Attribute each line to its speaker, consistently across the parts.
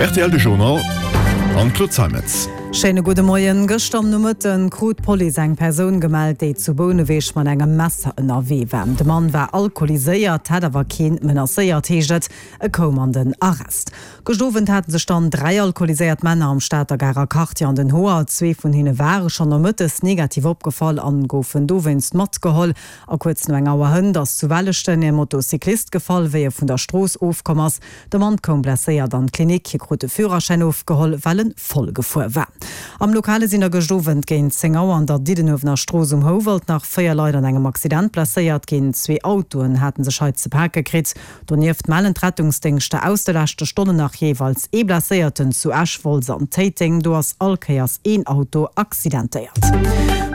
Speaker 1: Rtl De Journal an d'Claude Zeimetz.
Speaker 2: Schéine gudde Moien. Gëschter am Nomëtten krut d'Police eng Persoun gemellt, déi zu Bouneweg mat engem Messer ënnerwee war. De Mann war alkoholiséiert, hätt awer keen menacéiert, heescht et. E koum an den Arrest. Gëscht Owend hate sech dann 3 alkoholiséiert Männer am Stater Garer Quartier an den Hoer. Zwee vun hinne ware schonn nomëttes negativ opgefall an goufen dowéinst matgeholl. A kuerz no eng Auer hënt ass zu Welleschten e Motocyclist gefall, wéi e vun der Strooss ofkomm ass. De Mann koum blesséiert an d'Klinik. Hie krut de Führerschäin ofgeholl, well en voll gefuer war. Am Lokale sinn der gëscht Owend géint 10 Auer an der Diddenuewener Strooss um Houwald nach 4 Leit an engem Accident blesséiert ginn. Zwee Autoen hate sech hei ze pake kritt. Donieft mellen d'Rettungsdéngschter aus de leschte Stonnen nach jeeweils ee Blesséierten zu Esch, Wolz an Téiteng. Do ass all Kéiers een Auto accidentéiert.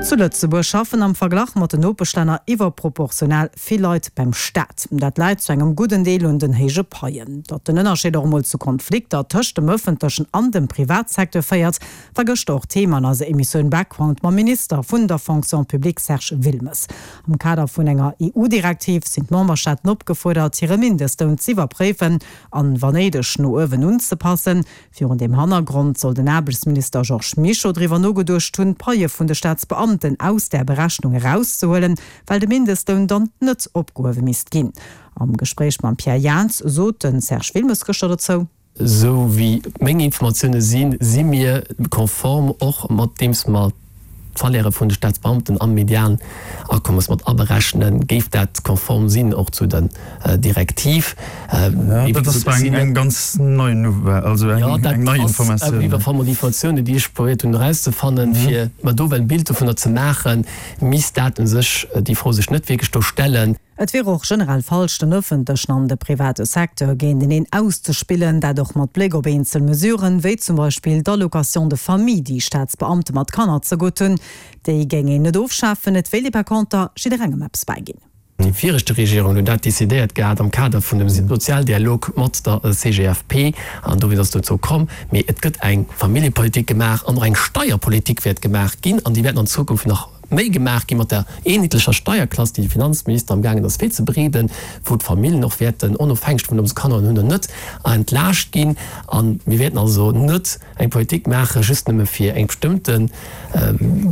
Speaker 2: Zu Lëtzebuerg schaffen am Verglach mat den Nopeschlänner iwwerproportional vill Leit beim Staat. Dat läit zu engem gudden Deel un den héije Paien. Datt den Ënnerscheed och emol zu Konflikter tëscht dem ëffentlechen an dem Privatsecteur féiert, war gëschter och Thema an eiser Emissioun Background mam Minister vun der Fonction publique Serge Wilmes. Am Kader vun enger EU-Direktiv sinn d'Memberstaaten opgefuerdert, hire Mindestloun z'iwwerpréifen an, wa néideg, no uewen unzepassen. Virun deem Hannergrond soll den Aarbechtsminister Georges Mischo driwwer nogeduecht hunn, d'Paie vun de Staatsbeamten aus där Berechnung erauszehuelen, well de Mindestloun dann net opgehuewe misst ginn. Am Gespréich mam Pierre Jaans sot de Serge Wilmes gëschter dozou.
Speaker 3: Esou wéi meng Informatioune sinn, si mir konform, och mat deems mer d'Salairë vun de Staatsbeamten am Medianakommes mat aberechnen, géif dat konform sinn och zu der Direktiv.
Speaker 4: Dat ass zwar eng ganz nei Nouvelle, also eng nei Informatioun.
Speaker 3: Jo, dat ass iwwer déi Informatiounen, déi ech probéiert hunn erauszefannen, fir mer do well e Bild dovunner ze maachen, misst dat u sech, déi Fro sech net wierklech do stellen.
Speaker 2: Et wier och generell falsch, den ëffentlechen an de private Secteur géinteneen auszespillen, dat och mat Bléck op eenzel Mesuren, wéi zum Beispill d'Allocation de famille, déi Staatsbeamte mat Kanner zegutt hunn. Déi géing een net ofschafen, et wéilt ee par conter jidderengem eppes bäiginn.
Speaker 3: Déi viregte Regierung huet dat decidéiert gehat am Kader vun dem Sozialdialog mat der CGFP an dowéinst ass et dozou komm. Mee et gëtt eng Familljepolitik gemaach an och eng Steierpolitik wäert gemaach ginn an déi wäerten an Zukunft nach méi gemaach gi mat der eenheetlecher Steierklass, déi de Finanzminister am gaangen ass virzebereeden, wou d'Famillen och wäerten, onofhängeg dovun, ob se Kanner hunn oder net, entlaascht ginn. A mir wäerten also net eng Politik maache just nëmme fir eng bestëmmte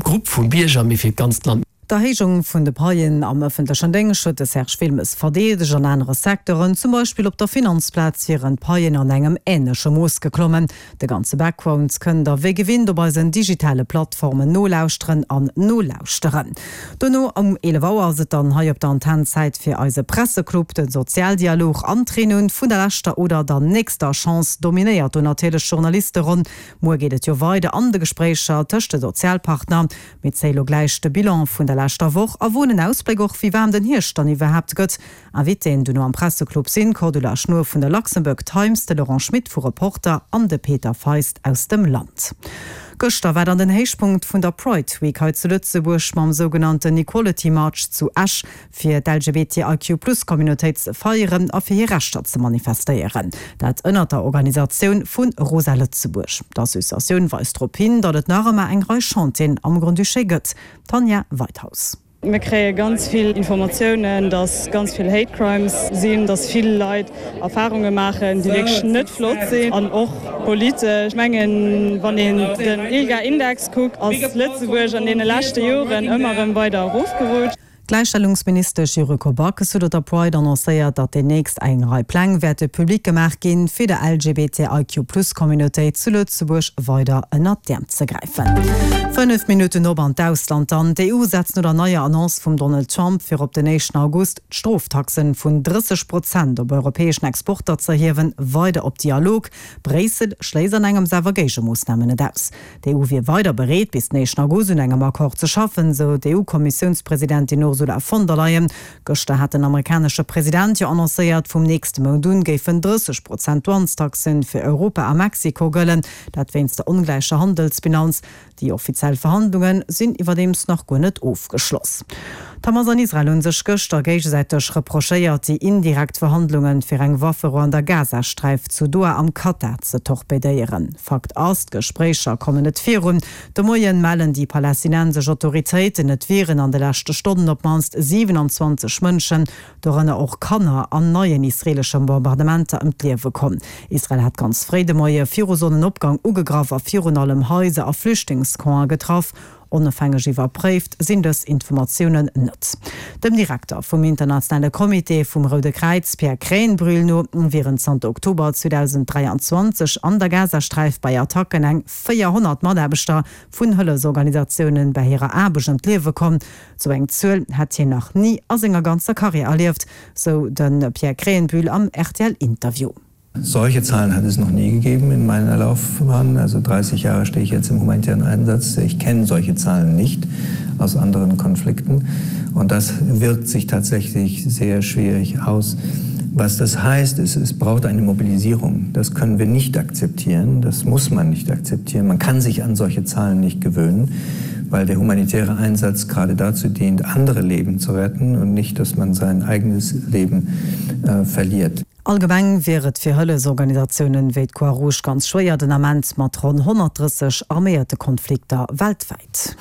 Speaker 3: Grupp vu Bierger, mee fir d'ganzt Land.
Speaker 2: D'Erhéijung vun de Paien am ëffentlechen Déngscht huet de Serge Wilmes verdeedegt. An anere Secteuren, zum Beispill op der Finanzplaz, wieren d'Paien an engem änleche Mooss geklommen. De ganze Background kënnt der wéi gewinnt op eisen digitale Plattformen nolauschteren an nolauschteren. Dono um 11 Auer ass et dann hei op der Antenn Zäit fir eise Presseclub. Den Sozialdialog an d'Reunioun vun der leschter oder der nächster Chance dominéiert do natierlech d'Journalisteronn. Muer geet et jo weider an de Gespréicher tëscht de Sozialpartner. Mir zéie lo gläich de Bilan vun der leschter Woch a woen en Ausbléck och wéi waarm den Hierscht dann iwwerhaapt gëtt. Invitéen duerno am Presseclub sinn d'Cordula Schnoor vun der Luxembourg Times, de Laurent Schmit vu Reporter an de Peter Feist aus dem Land. Gëschter war dann den Héichpunkt vun der Pride Week hei zu Lëtzebuerg mam sougenannten Equality March zu Esch, fir d'LGBTIQ-Plus-Communautéit ze feieren a fir hir Rechter ze manifestéieren. Dat ënnert der Organisatioun vu Rosa Lëtzebuerg. D'Associatioun weist drop hin, datt et nach ëmmer eng Rei Chantieren am Grand-Duché gëtt. Tanja Weithaus.
Speaker 5: Mir kréie ganz vill Informatiounen, dass ganz vill Hate Crimes sinn, dass vill Leit Erfarunge maachen, déi wierklech net flott sinn an och politesch. Ech mengen, wann een den ILGA-Index kuckt, ass Lëtzebuerg an deene leschte Joren ëmmer erëm weider erofgerutscht.
Speaker 2: D'Gläichstellungsministesch Yuriko Backes huet op der Pride annoncéiert, datt deemnächst eng Rei Pläng wäerte public gemaach ginn, fir der LGBTIQ-Plus-Communautéit zu Lëtzebuerg weider ënnert d'Äerm ze gräifen. 5 Minutten op an d'Ausland dann. D'EU setzt no der neier Annonce vum Donald Trump, fir op den éischten August d'Stroftaxen vun 30 Prozent op europäeschen Exporter z'erhiewen, weider op Dialog. Bréissel schléisst an engems awer Géigemoossnamen net aus. D'EU wier weider bereet, bis den éischten August un engem Accord ze schaffen, sou d'EU-Kommissiounspresidentin Ursula von der Leyen. Gëschter hat den amerikanesche President jo annoncéiert, vum nächste Mount un géifen 30 Prozent Douanestaxen fir Europa a Mexiko gëllen, dat wéinst der ongläicher Handelsbilanz. Déi offiziell Verhandlunge sinn iwwerdeems nach guer net ofgeschloss. D'Hamas an Israel hu sech gëschter géigesäiteg reprochéiert, déi indirekt Verhandlunge fir eng Wafferou an der Gazasträif zu Doha am Katar ze torpedéieren. Fakt ass, d'Gespréicher kommen net virun. De Moien mellen déi palästinensesch Autoritéiten, et wieren an de leschte Stonnen op d'mannst 27 Mënschen, dorënner och Kanner, an neien israeelesche Bombardementer ëm d'Liewe komm. Israel hat ganz fréi de Moie viru Sonnenopgang ugegraff a virun allem Haiser a Flüchtlingscampen getraff. Onofhängeg iwwerpréift sinn dës Informatiounen net. Dem Direkter vum internationale Comité vum Roude Kräiz, Pierre Krähenbrühl, no wieren zanter Oktober 2023 an der Gazasträif bei Attacken eng 400 Mataarbechter vun Hëllefsorganisatiounen bei hirer Aarbecht ëm d'Liewe komm. Sou eng Zuel hätt hien nach ni a senger ganzer Karriär erlieft, sou de Pierre Krähenbühl am RTL-Interview.
Speaker 6: Solche Zahlen hat es noch nie gegeben in meiner Laufbahn. Also 30 Jahre stehe ich jetzt im humanitären Einsatz. Ich kenne solche Zahlen nicht aus anderen Konflikten. Und das wirkt sich tatsächlich sehr schwierig aus. Was das heißt, ist, es braucht eine Mobilisierung. Das können wir nicht akzeptieren. Das muss man nicht akzeptieren. Man kann sich an solche Zahlen nicht gewöhnen, weil der humanitäre Einsatz gerade dazu dient, andere Leben zu retten und nicht, dass man sein eigenes Leben äh, verliert.
Speaker 2: Allgemeng wier et fir Hëllefsorganisatiounen wéi d'Croix-Rouge ganz schwéier den Ament mat ronn 130 arméierte Konflikter weltwäit.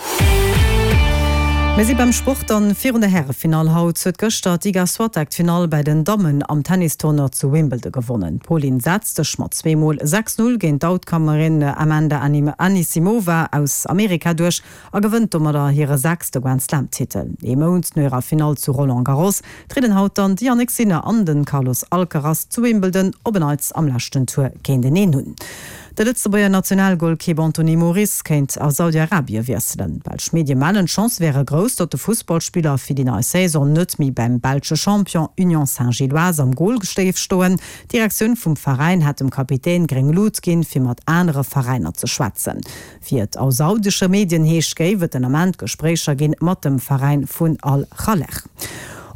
Speaker 2: Mir si beim Sport an virun der Härefinall. Haut huet gëschter d'Iga Swiatek d'Finall bäi den Dammen am Tennistournoi zu Wimbledon gewonnen. D'Polin setzt sech mat zweemol 6, 0 géint d'Outcomerin Amanda Anisimova aus Amerika duerch a gewënnt domadder hire sechste Grand-Slam-Titel. Ee Mount no hirer Finall zu Roland Garros trieden haut dann de Jannik Sinner an de Carlos Alcaraz zu Wimbledon op en Neits am leschten Tour géinteneen un. De Lëtzebuerger Nationalgolkeep Anthony Moris kéint a Saudi-Arabie wiesselen. Belsch Medie mellen, d'Chancë wäre grouss, datt de Fussballspiller fir déi nei Saison net méi beim belsche Champion Union Saint-Gilloise am Gol géif stoen. D'Direktioun vum Veräin hätt dem Kapitän gréng Lut ginn, fir mat anere Veräiner ze schwätzen. Wéi et a saudesche Medien heescht, géif et den Ament Gespréicher ginn mat dem Veräin vun Al-Khalej.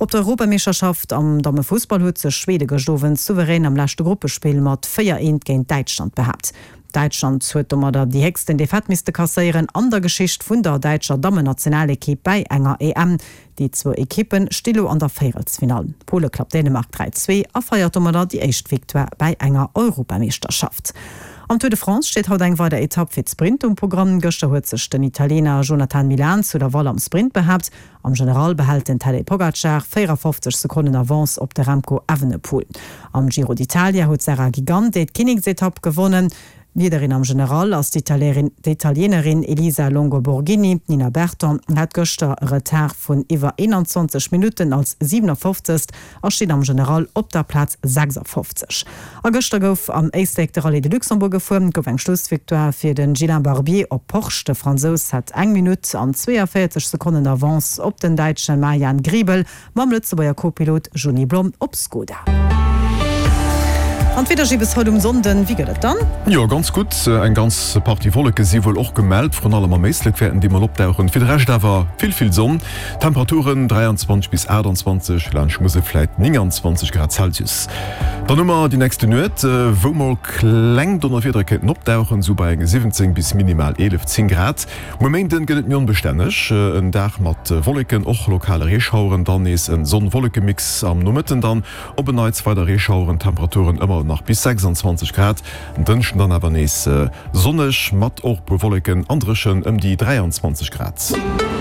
Speaker 2: Op der Europameeschterschaft am Dammefussball huet sech Schwede gëscht Owend souverän am leschte Gruppespill mat 4, 1 géint Däitschland behaapt. Däitschland huet domadder déi héchsten Defaite misste kasséieren an der Geschicht vun der däitscher Dammennationalekipp bäi enger EM. Déi zwou Ekippe sti lo an der Véierelsfinall. Pole klappt Dänemark 3, 2 a feiert domadder déi éischt Victoire bäi enger Europameeschterschaft. Am Tour de France steet haut eng weider Etapp fir d'Sprint um Programm. Gëschter huet sech den Italiener Jonathan Milan zu Laval am Sprint behaapt. Am General behält den Tadej Pogacar 54 Sekonnen Avance op de Remco Evenepoel. Am Giro d'Italia huet d'Sarah Gigante d'Kinneksetapp gewonnen. Leaderin am General ass d'Italienerin Elisa Longo Borghini. D'Nina Berton hat gëschter e Retard vun iwwer 21 Minutten als 57. A steet am General op der Plaz 56. A gëschter gouf am Éislek de Rallye de Luxembourg gefuer. Et gouf eng Schlussvictoire fir de Ghislain Barbier op Porsche. De Fransous hat eng Minutt an 42 Sekonnen Avance op den Däitsche Marian Griebel. Mam Lëtzebuerger Co-Pilot Juni Blom op Skoda. An d'Wieder gi bis haut um Sonnden, wéi gëtt et dann?
Speaker 1: Jo, ganz gutt. Eng ganz Partie Wolleke si wuel och gemellt, vrun allem am Éislek wäerten déi mol opdauchen. Fir de Rescht awer vill, vill Sonn. Temperaturen 23 bis 28, laanscht Musel vläit 29 Grad Celsius. Dann hu mer déi nächste Nuet, wou mol kleng Donnerwiedere kéinten opdauchen, sou bei enge 17 bis minimal 11, 10 Grad. Muer Méinden gëtt et méi onbestänneg, en Dag mat Wolleken, och lokale Reeschaueren, dann nees en Sonn-Wolleke-Mix, am Nomëtten dann op en Neits weider Reeschaueren, Temperaturen ëmmer nach bis 26 Grad. En Dënschden dann awer nees sonneg mat och puer Wolleken an dréchen ëm déi 23 Grad.